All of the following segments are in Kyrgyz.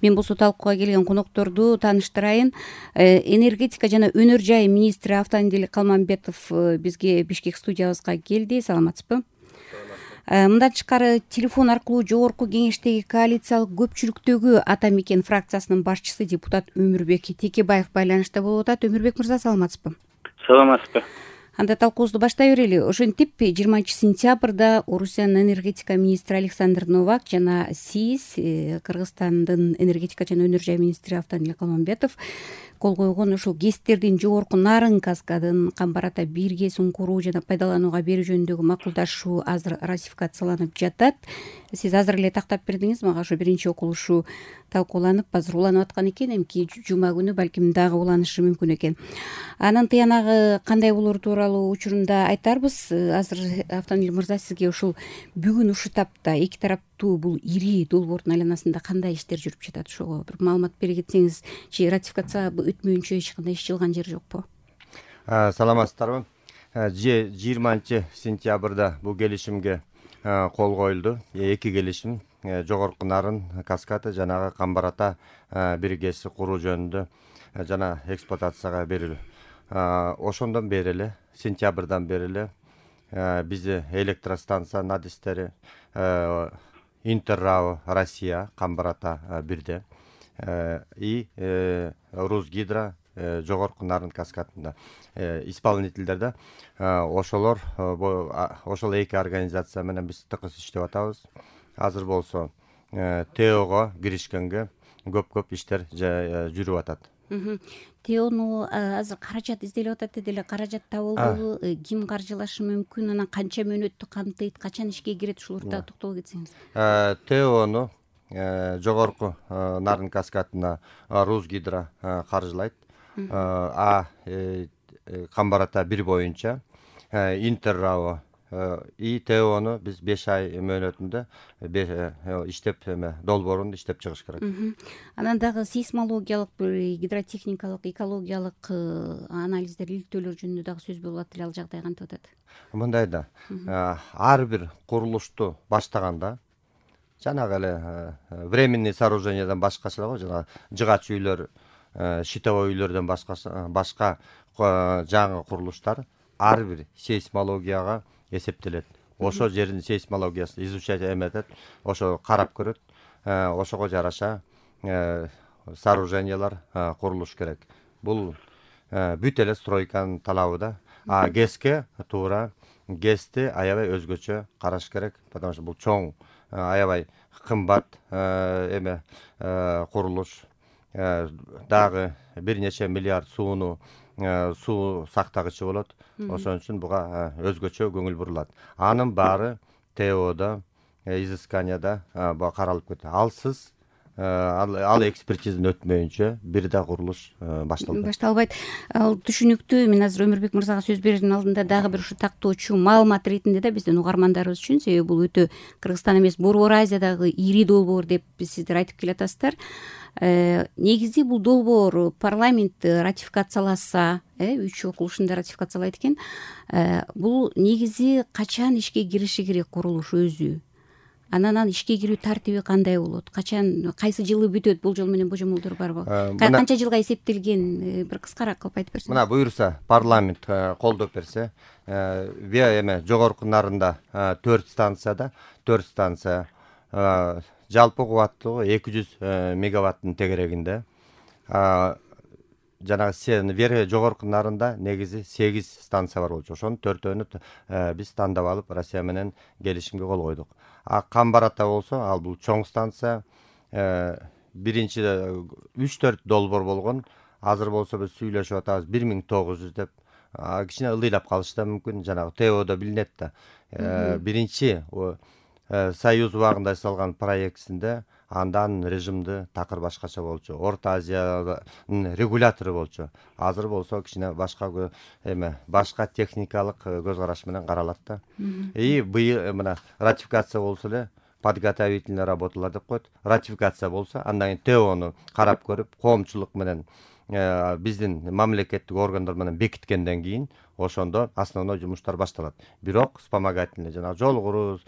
Мен болсо талкууга келген конокторду тааныштырайын. Энергетика жана өнөр жай министри Автандил Калмамбетов бизге Бишкек студиябызга келди. Саламатсызбы? Мындан тышкары телефон аркылуу жогорку кеңештеги коалициялык көпчүлүктөгү Ата Мекен фракциясынын башчысы депутат Өмүрбек Текебаев байланышта болуп атат. Өмүрбек мырза, саламатсызбы? Саламатсызбы. Анда талкуубузду баштай берели. Ошентип 20-сентябрда Орусиянын энергетика министри Александр Новак жана сиз Кыргызстандын энергетика жана өнөр жай министри Автандил Калмамбетов кол койгон ушул ГЭСтердин жогорку нарын каскадын Камбар Ата 1 ГЭСин куруу жана пайдаланууга берүү жөнүндөгү макулдашуу азыр ратификацияланып жатат. Сиз азыр эле тактап бердиңиз мага. Ошо биринчи окулушу талкууланып, азыр уланып аткан экен. Эмки жума күнү балким дагы уланышы мүмкүн экен. Анын тыянагы кандай болору тууралуу учурунда айтарбыз. Азыр Автандил мырза, сизге ушул бүгүн ушул тапта эки тараптуу бул ири долбоордун айланасында кандай иштер жүрүп жатат? Ошого бир маалымат бере кетсеңиз, ратификация өтмөйүнчө эч кандай иш жылган жер жокпу? Саламатсыздарбы? 20-сентябрда бул келишимге кол коюлду. Эки келишим жогорку нарын каскады жанагы Камбар Ата 1 ГЭС куруу жөнүндө жана эксплуатацияга берилүү. Ошондон бери эле, сентябрдан бери эле бизде электростанция надистери Интеррао Россия Камбар Ата 1де и Русгидро жогорку нарын каскадында исполнительдер ошол эки организация менен биз тыкыз иштеп атабыз. Азыр болсо ТОго киришкенге көп иштер жүрүп атат. ТОну азыр каражат изделип атат деди эле. Каражат табылдыбы? Ким каржылашы мүмкүн? Анан канча мөөнөттү камтыйт? Качан ишке кирет? Ушуларда токтолуп кетсеңиз. ТОну жогорку нарын каскадына Русгидро каржылайт. Камбар Ата 1 боюнча Интеррао и ТОну биз 5 ай мөөнөтүндө иштеп долбоорун иштеп чыгыш керек. Анан дагы сейсмологиялык, гидротехникалык, экологиялык анализдер, иликтөөлөр жөнүндө дагы сөз болуп атат эле. Ал жагдай кантип атат? Мындай да, ар бир курулушту баштаганда жанагы эле временный сооружениядан башкача го, жана жыгач үйлөр, щитовой үйлөрдөн башка жаңы курулуштар ар бир сейсмологияга эсептелет. Ошо жердин сейсмологиясын изучать эметет, ошо карап көрөт. Ошого жараша сооружениялар курулуш керек. Бул бүт эле стройканын талабы да. ГЭСке туура ГЭСти аябай өзгөчө караш керек, потому что бул чоң, аябай кымбат курулуш. Дагы бир нече миллиард суу сактагычы болот. Ошон үчүн буга өзгөчө көңүл бурулат. Анын баары ТОдо, изысканияда каралып кетти. Алсыз ал экспертизаны өтмөйүнчө бир да курулуш башталбайт. Ал түшүнүктүү. Мен азыр Өмүрбек мырзага сөз берердин алдында дагы бир ушу тактоочу маалымат ретинде да биздин угармандарыбыз үчүн, себеби бул өтө Кыргызстан эмес, Борбор Азиядагы ири долбоор деп сиздер айтып келатасыздар. Негизи бул долбоор парламент ратификацияласа, 3 окулушунда ратификациялайт экен. Бул негизи качан ишке кириши керек курулуш өзү? Анан ишке кирүү тартиби кандай болот? Качан, кайсы жылы бүтөт? Болжол менен божомолдор барбы? Канча жылга эсептелген? Бир кыскараак кылып айтып берсеңиз. Мына буюрса, парламент колдоп берсе, жогорку нарында 4 станция жалпы кубаттуулугу 200 мегаваттын тегерегинде. Жанагы жогорку нарында негизи 8 станция бар болчу. Ошонун 4-өнү биз тандап алып Россия менен келишимге кол койдук. Камбар Ата болсо, ал бул чоң станция. Биринчи 3-4 долбоор болгон. Азыр болсо биз сүйлөшүп атабыз 1900 деп. Кичине ылдыйлап калышы да мүмкүн. Жанагы ТОдо билинет да. Биринчи Союз убагында жасалган проектисинде андан режимди такыр башкача болчу. Орто Азиянын регулятору болчу. Азыр болсо кичине башка техникалык көз караш менен каралат да. Быйыл мына ратификация болсо эле подготовительный работалар деп коет. Ратификация болсо, андан кийин ТОну карап көрүп, коомчулук менен биздин мамлекеттик органдар менен бекиткенден кийин ошондо основной жумуштар башталат. Бирок вспомогательный жана жол куруу,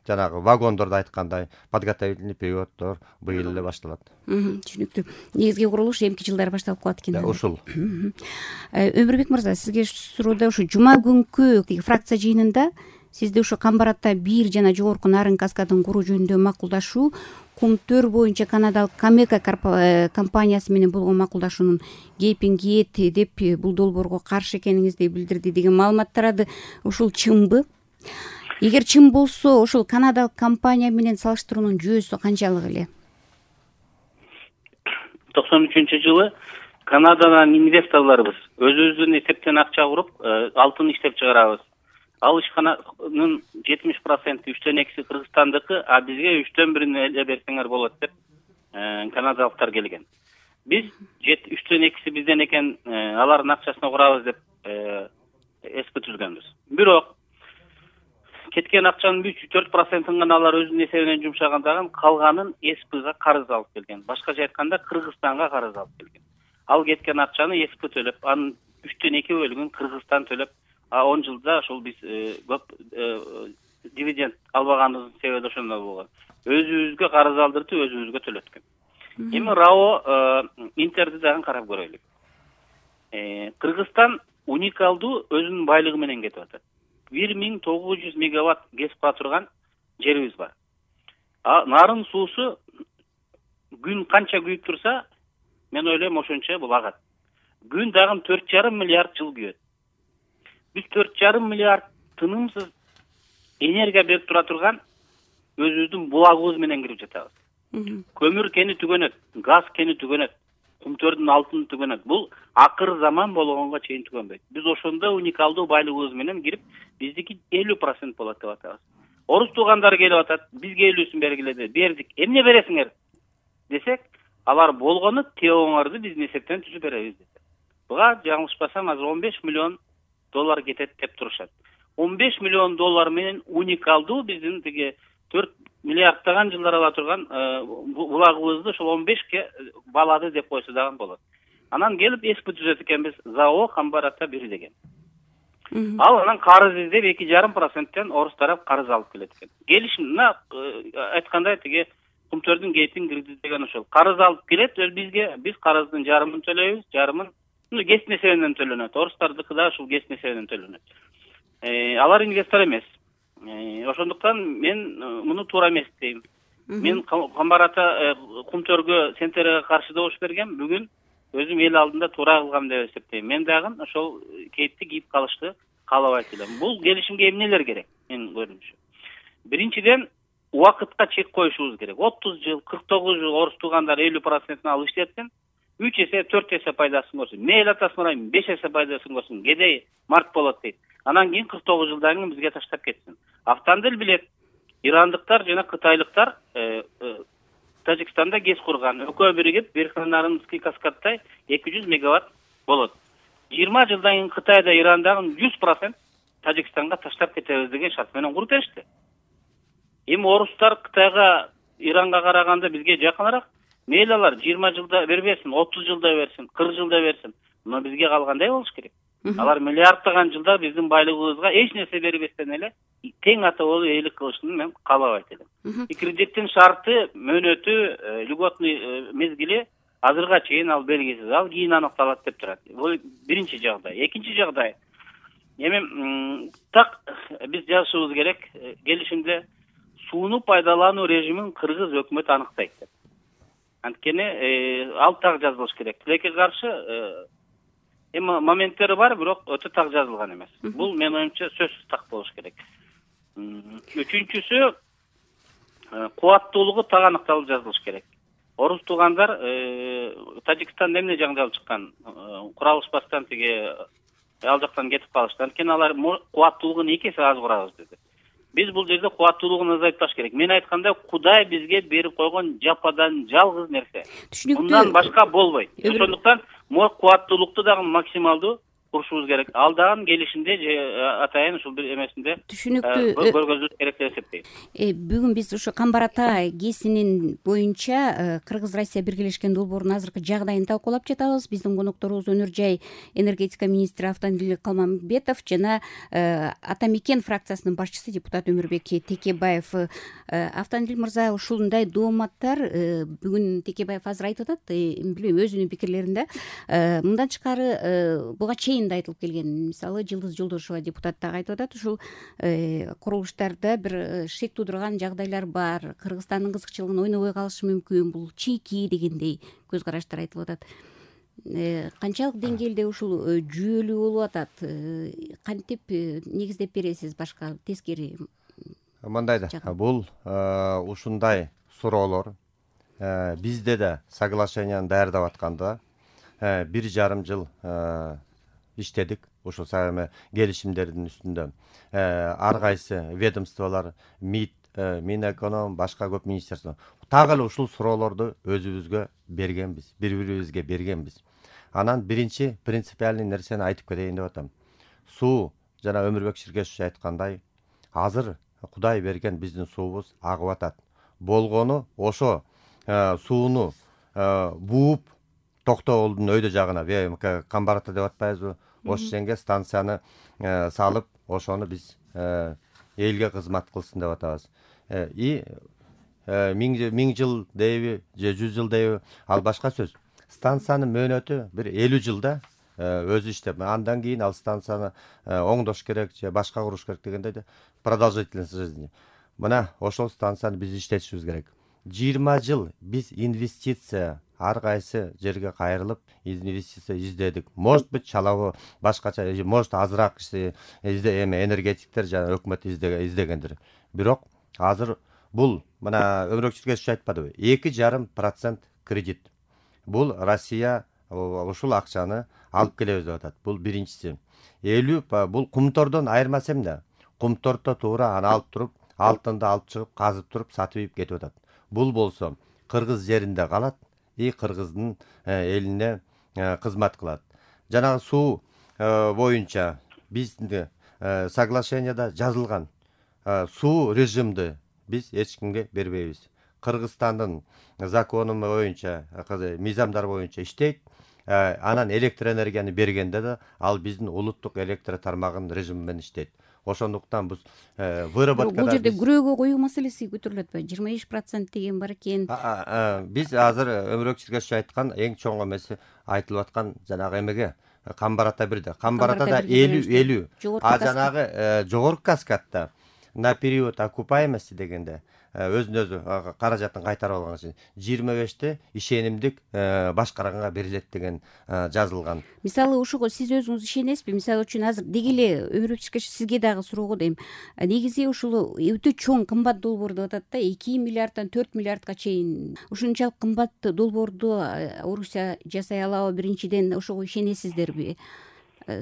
жанагы вагондорду айткандай подготовительный периоддор быйыл эле башталат. Түшүнүктүү. Негизги курулуш эмки жылдары башталып калат экен. Ушул. Өмүрбек мырза, сизге суроодо ушу жума күнкү фракция жыйынында сизди ушу Камбар Ата 1 жана жогорку Нарын каскадын куруу жөнүндө макулдашуу Кумтөр боюнча канадалык Камека компаниясы менен болгон макулдашуунун кепин кийет деп бул долбоорго каршы экениңизди билдирди деген маалымат тарады. Ушул чынбы? Эгер чын болсо, ошол канадалык компания менен салыштыруунун жүйөсү канчалык эле? 93-жылы Канададан инвесторлорубуз өзүбүздүн эсептен акча куруп, алтын иштеп чыгарабыз. Ал ишкананын 70% 3/2 Кыргызстандыкы, а бизге 1/3 эле берсеңер болот деп канадалыктар келген. Биз 3/2 бизден экен, алардын акчасына курабыз деп эсп түзгөнбүз. Бирок кеткен акчанын 3-4%-ын гана алар өзүнүн эсебинен жумшагандагы, калганын эспга карыз алып келген. Башкача айтканда Кыргызстанга карыз алып келген. Ал кеткен акчаны эсп төлөп, анын 3/2 бөлүгүн Кыргызстан төлөп, 10 жылда ошол биз көп дивиденд албаганыбыздын себеби ошондой болгон. Өзүбүзгө карыз алдыртып, өзүбүзгө төлөткөн. Эми РАО Интерди дагы карап көрөлүк. Кыргызстан уникалдуу өзүнүн байлыгы менен кетип атат. 1900 мегаватт гез кура турган жерибиз бар. Нарын суусу күн канча күйүп турса, мен ойлойм ошончо бул агат. Күн дагы 4,5 миллиард жыл күйөт. Биз 4,5 миллиард тынымсыз энергия берип тура турган өзүбүздүн булагыбыз менен кирип жатабыз. Көмүр кени түгөнөт, газ кени түгөнөт, Кумтөрдүн алтыны түгөнөт. Бул акыр заман болгонго чейин түгөнбөйт. Биз ошондой уникалдуу байлыгыбыз менен кирип, биздики 50% болот деп атабыз. Орус туугандар келип атат, бизге 50-син бергиле, бердик. Эмне бересиңер десек, алар болгону теоңорду биздин эсептен түзүп беребиз деп. Буга жаңылышпасам азыр $15 миллион кетет деп турушат. $15 миллион менен уникалдуу биздин тиги 4 миллиардтаган жылдар ала турган булагыбызды ошол 15ке балады деп койсо дагы болот. Анан келип эсп түзөт экенбиз, ЗАО Камбар Ата 1 деген. Ал анан карыз издеп 2,5%тен орус тарап карыз алып келет экен. Келишимдена айткандай тиги Кумтөрдүн гейтин кирди деген ошол. Карыз алып келет, бизге биз карыздын жарымын төлөйбүз, жарымын гез эсебинен төлөнөт. Орустардыкы да ушул гез эсебинен төлөнөт. Алар инвестор эмес. Ошондуктан мен муну туура эмес дейм. Мен Камбар Ата Кумтөргө Сентерге каршы добуш бергем, бүгүн өзүм эл алдында туура кылгам деп эсептейм. Мен дагы ошол кейпти кийип калышты каалабайт элем. Бул келишимге эмнелер керек? Мен көрүнүшү. Биринчиден, убакытка чек коюшубуз керек. 30 жыл, 49 жыл орус туугандар 50%-ын алып иштетсин, 3 эсе, 4 эсе пайдасын көрсүн. Мейли атасын урайм, 5 эсе пайдасын көрсүн. Кедей март болот дейт. Анан кийин 49 жылдан кийин бизге таштап кетсин. Автандыл билет. Ирандыктар жана кытайлыктар Тажикстанда гез курган. Экөө биригип, Верховнарынский каскадтай 200 мегаватт болот. 20 жылдан кийин Кытайда, Ирандагы 100% Тажикстанга таштап кетебиз деген шарт менен куруп беришти. Эми орустар Кытайга, Иранга караганда бизге жакыныраак. Мейли алар 20 жылда бербесин, 30 жылда берсин, 40 жылда берсин. Но бизге калгандай болуш керек. Алар миллиарддаган жылдар биздин байлыгыбызга эч нерсе бербестен эле тең ата болуп эйлик кылышын мен каалабайт элем. Кредиттин шарты, мөөнөтү, льготный мезгили азырга чейин ал белгисиз. Ал кийин аныкталат деп турат. Бул биринчи жагдай. Экинчи жагдай. Эми так биз жазышыбыз керек. Келишимде сууну пайдалануу режимин кыргыз өкмөтү аныктайт деп. Анткени ал так жазылыш керек. Тилекке каршы эми моменттери бар, бирок өтө так жазылган эмес. Бул менин оюмча сөзсүз так болуш керек. Үчүнчүсү, кубаттуулугу так аныкталып жазылыш керек. Орус туугандар Тажикстанда эмне жаңжал чыккан? Куралышпастан тиги ал жактан кетип калышты. Анткени алар кубаттуулугун 2 эсе аз курабыз деди. Биз бул жерде кубаттуулугун азайтпаш керек. Мен айткандай, Кудай бизге берип койгон жападан жалгыз нерсе. Мындан башка болбойт. Ошондуктан кубаттуулукту дагы максималдуу курушубуз керек. Ал дагы келишимде же атайын ушул бир эмесинде түшүнүктүү көргөзүлүш керек деп эсептейм. Бүгүн биз ушу Камбар Ата ГЭСинин боюнча Кыргыз Россия биргелешкен долбоорунун азыркы жагдайын талкуулап жатабыз. Биздин конокторубуз Өнөр жай энергетика министри Автандил Калмамбетов жана Ата Мекен фракциясынын башчысы депутат Өмүрбек Текебаев. Автандил мырза, ушундай дооматтар бүгүн Текебаев азыр айтып атат, билбейм, өзүнүн пикирлеринде мындан тышкары буга чейин да айтылып келген. Мисалы Жылдыз Жолдошева депутат дагы айтып атат, ушул курулуштарда бир шек туудурган жагдайлар бар, Кыргызстандын кызыкчылыгын ойнобой калышы мүмкүн, бул чийки дегендей көз караштар айтылып атат. Канчалык деңгээлде ушул жүйөлүү болуп атат? Кантип негиздеп бересиз башка тескери? Мындай да, бул ушундай суроолор бизде да соглашенияны даярдап атканда 1,5 жыл иштедик ушул келишимдердин үстүндө. Ар кайсы ведомстволор, МИД, Минэконом, башка көп министерство так эле ушул суроолорду өзүбүзгө бергенбиз, бири-бирибизге бергенбиз. Анан биринчи принципиальный нерсени айтып кетейин деп атам. Суу жана Өмүрбек Ширкешевич айткандай, азыр Кудай берген биздин суубуз агып атат. Болгону ошо сууну бууп Токтогулдун өйдө жагына, Камбар Ата деп атпайбызбы, ошол жерге станцияны салып, ошону биз элге кызмат кылсын деп атабыз. Миң жыл дейби же 100 жыл дейби, ал башка сөз. Станциянын мөөнөтү бир 50 жылда өзү иштеп, андан кийин ал станцияны оңдош керек же башка куруш керек дегенде продолжительность жизни. Мына ошол станцияны биз иштетишибиз керек. 20 жыл биз инвестиция ар кайсы жерге кайрылып инвестиция издедик. Может быть, чалабы башкача, может азыраак энергетиктер жана өкмөт издегендир. Бирок азыр бул мына Өмүрбек Ширкешевич айтпадыбы? 2,5% кредит. Бул Россия ушул акчаны алып келебиз деп атат. Бул биринчиси. 50 бул кумтордон айырмасы эмне? Кумтордо туура аны алып туруп, алтынды алып чыгып, казып туруп, сатып кетип атат. Бул болсо Кыргыз жеринде калат, Кыргыздын элине кызмат кылат. Жанагы суу боюнча биздин соглашенияда жазылган суу режимди биз эч кимге бербейбиз. Кыргызстандын закону боюнча, мыйзамдар боюнча иштейт. Анан электр энергияны бергенде да ал биздин улуттук электр тармагынын режими менен иштейт. Ошондуктан биз выработкада бул жерде күрөөгө коюу маселеси көтөрүлөт атпайбы? 25% деген бар экен. Биз азыр Өмүрбек Ширкешевич айткан эң чоң эмеси айтылып аткан жанагы эмеге Камбар Ата 1де. Камбар Атада 50, жанагы жогорку каскадта на период окупаемости дегенде өзүнө өзү каражатын кайтарып алган үчүн 25те ишенимдик башкарганга берилет деген жазылган. Мисалы ушуга сиз өзүңүз ишенесизби? Мисалы үчүн азыр деги эле Өмүрбек Ширкешевич сизге дагы суроого дейм. Негизи ушул өтө чоң кымбат долбоор деп атат да, 2 миллиарддан 4 миллиардка чейин. Ушунчалык кымбат долбоорду Орусия жасай алабы? Биринчиден ошого ишенесиздерби?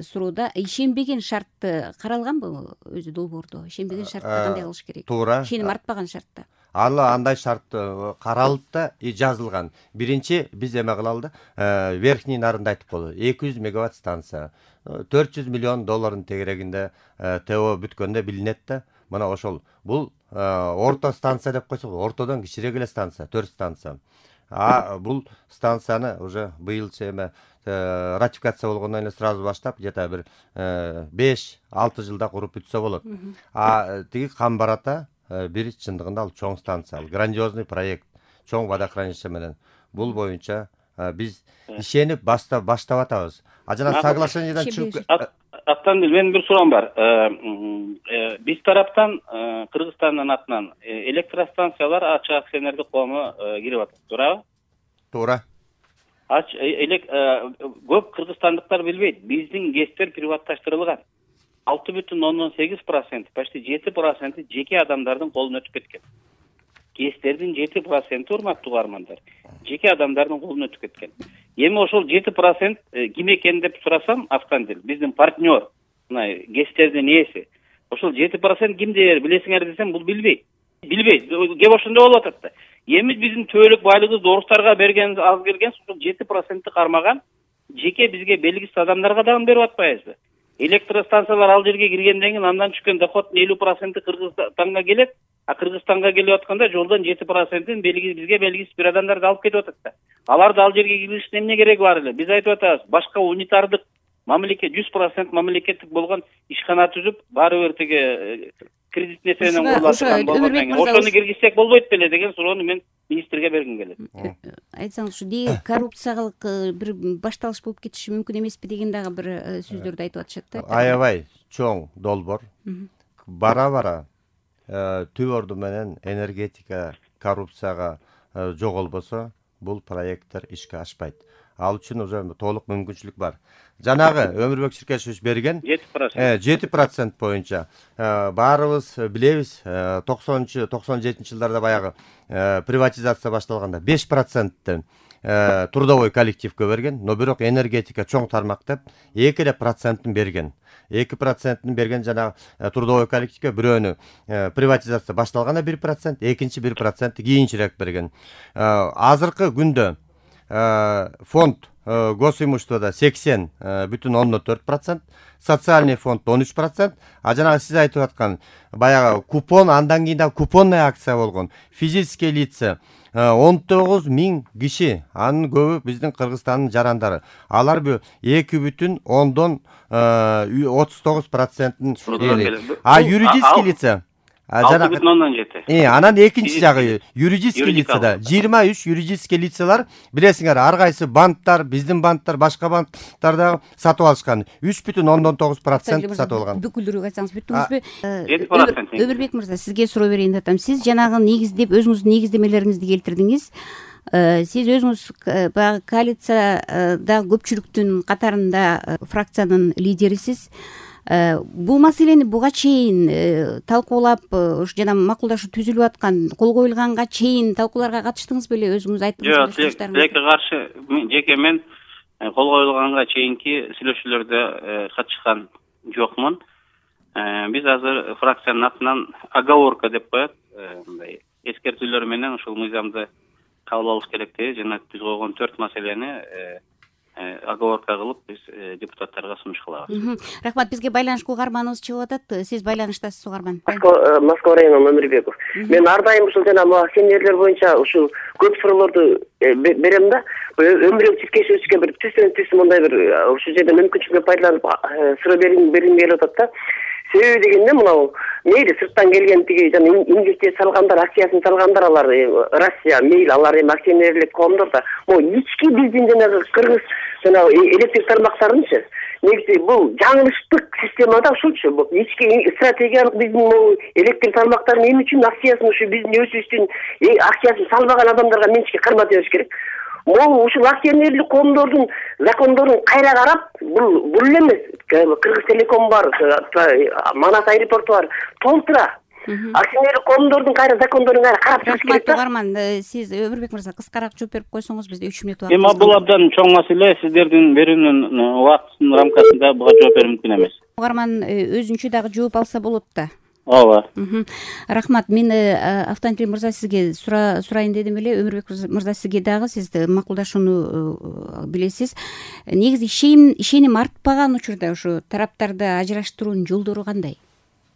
Суроодо ишенбеген шартты каралганбы өзү долбоордо? Ишенбеген шартта кандай кылыш керек? Туура. Ишеним артпаган шартта. Ал андай шарт каралып да жазылган. Биринчи биз эме кылалы да, Верхний Нарында айтып болду. 200 мегаватт станция, 400 миллион доллардын тегерегинде ТО бүткөндө билинет да. Мына ошол. Бул орто станция деп койсок, ортодон кичирээк эле станция, 4 станция. Бул станцияны уже быйылчы эме ратификация болгондон эле сразу баштап, где-то бир 5-6 жылда куруп бүтсө болот. Тиги Камбар Ата бир чындыгында ал чоң станция, ал грандиозный проект, чоң водохранилище менен. Бул боюнча биз ишенип баштап атабыз. Жана соглашениядан чыгып Автандил, менин бир суроом бар. Биз тараптан Кыргызстандын атынан электростанциялар ачык акционердик коому кирип атат, туурабы? Туура. Көп кыргызстандыктар билбейт. Биздин ГЭСтер приватташтырылган. 6,8%, почти 7% жеке адамдардын колуна өтүп кеткен. ГЭСтердин 7%, урматтуу угармандар, жеке адамдардын колуна өтүп кеткен. Эми ошол 7% ким экен деп сурасам, Автандил, биздин партнер, мына ГЭСтердин ээси. Ошол 7% кимде билесиңер десем, бул билбейт. Кеп ошондой болуп атат да. Эми биздин төөлүк байлыгыбызды орустарга бергенибиз аз келген, ошол 7%ты кармаган жеке бизге белгисиз адамдарга дагы берип атпайбызбы? Электростанциялар ал жерге киргенден кийин андан түшкөн доходдун 50% Кыргызстанга келет, а Кыргызстанга келип атканда жолдон 7%-ин бизге белгисиз бир адамдарды алып кетип атат да. Аларды ал жерге киргизиштин эмне кереги бар эле? Биз айтып атабыз, башка унитардык мамлекет 100% мамлекеттик болгон ишкана түзүп, баары бир тиги кредит несиенен курулат болгондон кийин ошону киргизсек болбойт беле деген суроону мен министрге бергим келет. Айтсаңыз, ушу деги коррупциялык бир башталыш болуп кетиши мүмкүн эмеспи деген дагы бир сөздөрдү айтып атышат да. Аябай чоң долбоор. Бара түп орду менен энергетика коррупцияга жоголбосо бул проекттер ишке ашпайт. Ал үчүн уже толук мүмкүнчүлүк бар. Жанагы Өмүрбек Ширкешевич берген 7% боюнча баарыбыз билебиз, 90-97 жылдарда баягы приватизация башталганда 5%-ты трудовой коллективге берген, но бирок энергетика чоң тармак деп 2% берген. 2% берген жанагы трудовой коллективге, бирөөнү приватизация башталганда 1%, экинчи 1% кийинчерээк берген. Азыркы күндө фонд госимуществода 80,4%, социальный фонд 13%, а жанагы сиз айтып аткан баягы купон, андан кийин да купонный акция болгон. Физический лица 19 000 киши, анын көбү биздин Кыргызстандын жарандары. Алар 2,39%. А юридический лица 6,7. Анан экинчи жагы юридический лицада 23 юридический лицалар, билесиңер, ар кайсы банктар, биздин банктар, башка банктар дагы сатып алышкан. 3,9% сатып алган. Бүкүлдүрүп айтсаңыз бүттүңүзбү? 7%. Өмүрбек мырза, сизге суроо берейин деп атам. Сиз жанагы негиздеп өзүңүздүн негиздемелериңизди келтирдиңиз. Сиз өзүңүз баягы коалицияда көпчүлүктүн катарында фракциянын лидерисиз. Бул маселени буга чейин талкуулап, жана макулдашуу түзүлүп аткан, кол коюлганга чейин талкууларга катыштыңыз беле? Өзүңүз айттыңыз. Жок, тилекке каршы жеке мен кол коюлганга чейинки сүйлөшүүлөрдө катышкан жокмун. Биз азыр фракциянын атынан оговорка деп коет, мындай эскертүүлөр менен ушул мыйзамды кабыл алыш керек деп, жана биз койгон 4 маселени оговорка кылып биз депутаттарга сунуш кылабыз. Рахмат, бизге байланышка угарманыбыз чыгып атат. Сиз байланыштасыз, угарман. Москва районунун Өмүрбеков. Мен ар дайым ушул жана акционерлер боюнча ушул көп суроолорду берем да. Өмүрбек Ширкешевичке бир түз мындай бир ушул жерде мүмкүнчүлүктөн пайдаланып суроо бергим келип атат да. Себеби дегенде мынау мейли сырттан келген тиги жана инвестиция салгандар, акциясын салгандар, алар Россия мейли, алар эми акционерлик коомдор да. Ички биздин жанагы кыргыз жана электр тармактарынчы негизи бул жаңылыштык системада ушулчу. Ички стратегиялык биздин электр тармактарын эмне үчүн акциясын ушу биздин өзүбүздүн акциясын салбаган адамдарга менчикке кармата бериш керек. Ушул акционерлик коомдордун закондорун кайра карап, бул эле эмес. Кыргыз Телеком бар, Манас аэропорту бар, толтура. Акционерлик коомдордун кайра закондорун кайра карап чыгыш керек. Угарман, сиз Өмүрбек мырза кыскараак жооп берип койсоңуз, бизде 3 минут убакыт. Эми бул абдан чоң маселе, сиздердин берүүнүн убактынын рамкасында буга жооп берүү мүмкүн эмес. Угарман өзүнчө дагы жооп алса болот да. Ооба. Рахмат. Мен Автандил мырза сизге сурайын дедим эле. Өмүрбек мырза, сизге дагы, сиз макулдашууну билесиз. Негизи ишеним артпаган учурда ушу тараптарды ажыраштыруунун жолдору кандай?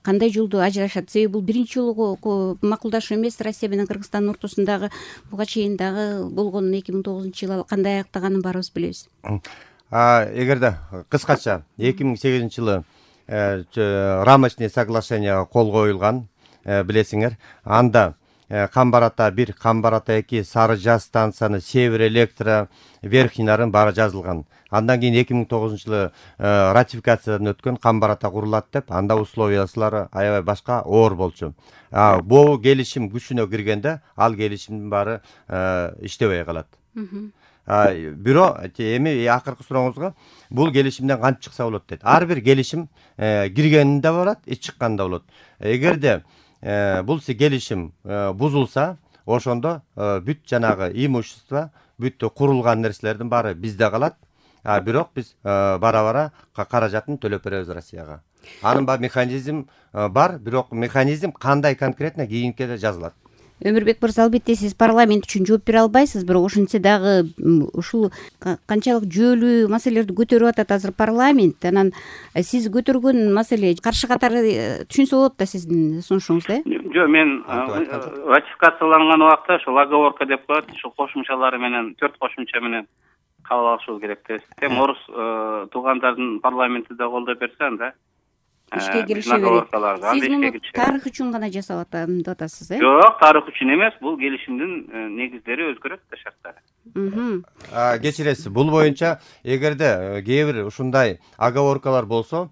Кандай жолду ажырашат? Себеби бул биринчи жолу макулдашуу эмес. Россия менен Кыргызстандын ортосундагы буга чейин дагы болгон 2009-жылы кандай аяктаганын баарыбыз билебиз. Эгерде кыскача 2008-жылы рамочный соглашение кол коюлган, билесиңер. Анда Камбарата 1, Камбарата 2, Сары Жаз станцияны, Север электро, Верхнинарын баары жазылган. Андан кийин 2009-жылы ратификациядан өткөн Камбарата курулат деп, анда условиясылары аябай башка оор болчу. Бул келишим күчүнө киргенде ал келишимдин баары иштебей калат. Бирок эми акыркы сурооңузга бул келишимден кантип чыкса болот дейт. Ар бир келишим киргенинде болот, чыкканда болот. Эгерде бул келишим бузулса, ошондо бүт жанагы имущество, бүт курулган нерселердин баары бизде калат. Бирок биз бара-бара каражатын төлөп беребиз Россияга. Анын механизм бар, бирок механизм кандай конкретно кийинкиде жазылат. Өмүрбек мырза, албетте сиз парламент үчүн жооп бере албайсыз, бирок ошентсе дагы ушул канчалык жүйөлүү маселелерди көтөрүп атат азыр парламент. Анан сиз көтөргөн маселе каршы катары түшүнсө болот да сиздин сунушуңузда, Жок, мен ратификацияланган убакта ошол оговорка деп коет, ушул кошумчалары менен 4 кошумча менен кабыл алышыбыз керек деп эсептейм. Орус туугандардын парламенти да колдой берсе, анда ишке кириши керек. Сиз муну тарых үчүн гана жасап атам деп атасыз, Жок, тарых үчүн эмес, бул келишимдин негиздери өзгөрөт да, шарттары. Кечиресиз, бул боюнча эгерде кээ бир ушундай оговоркалар болсо,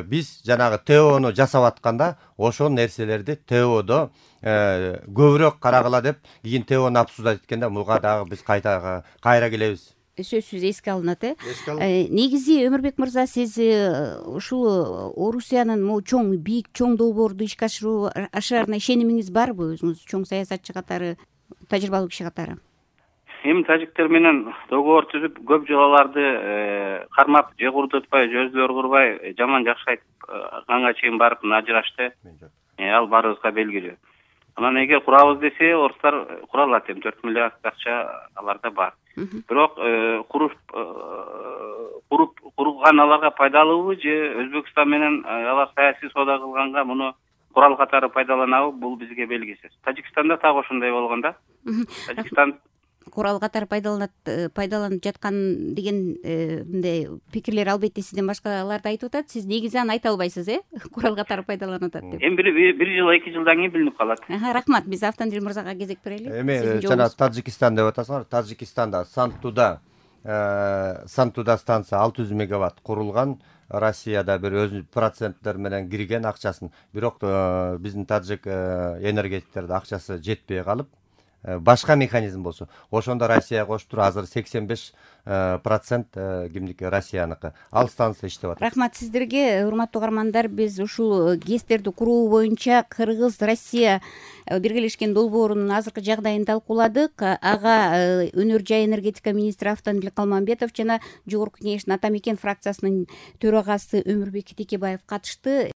биз жанагы ТОну жасап атканда ошол нерселерди ТОдо көбүрөөк карагыла деп кийин ТОну обсуждать эткенде буга дагы биз кайра келебиз. Сөзсүз эске алынат. Негизи Өмүрбек мырза, сиз ушул Орусиянын могу чоң бийик чоң долбоорду ишке ашырарына ишенимиңиз барбы, өзүңүз чоң саясатчы катары, тажрыйбалуу киши катары? Эми тажиктер менен договор түзүп, көп жолу аларды кармап, же курдутпай, же өздөрү курбай, жаман жакшы айтып, канга чейин барып ажырашты. Ал баарыбызга белгилүү. Анан эгер курабыз десе, орустар кура алат, эми 4 миллиард акча аларда бар. Бирок курган аларга пайдалуубу, же Өзбекстан менен алар саясий соода кылганга муну курал катары пайдаланабы, бул бизге белгисиз. Тажикстанда так ошондой болгон да. Тажикстан курал катары пайдаланып жаткан деген мындай пикирлер албетте сизден башкалар да айтып атат. Сиз негизи аны айта албайсыз, курал катары пайдаланып атат деп. Эми бир жыл, 2 жылдан кийин билинип калат. Рахмат, биз Автандил мырзага кезек берели. Эми жана Тажикстан деп атасыңар. Тажикстанда Сантуда станция 600 мегаватт курулган. Россияда бир өз проценттер менен кирген акчасын. Бирок биздин таджик энергетиктерде акчасы жетпей калып, башка механизм болсо, ошондо Россия кошуп туруп азыр 85% кимдики, Россияныкы. Ал станция иштеп атат. Рахмат сиздерге, урматтуу угармандар. Биз ушул ГЭСтерди куруу боюнча Кыргыз Россия биргелешкен долбоорунун азыркы жагдайын талкууладык. Ага өнөр жай энергетика министри Автандил Калмамбетов жана Жогорку Кеңештин Ата Мекен фракциясынын төрагасы Өмүрбек Текебаев катышты.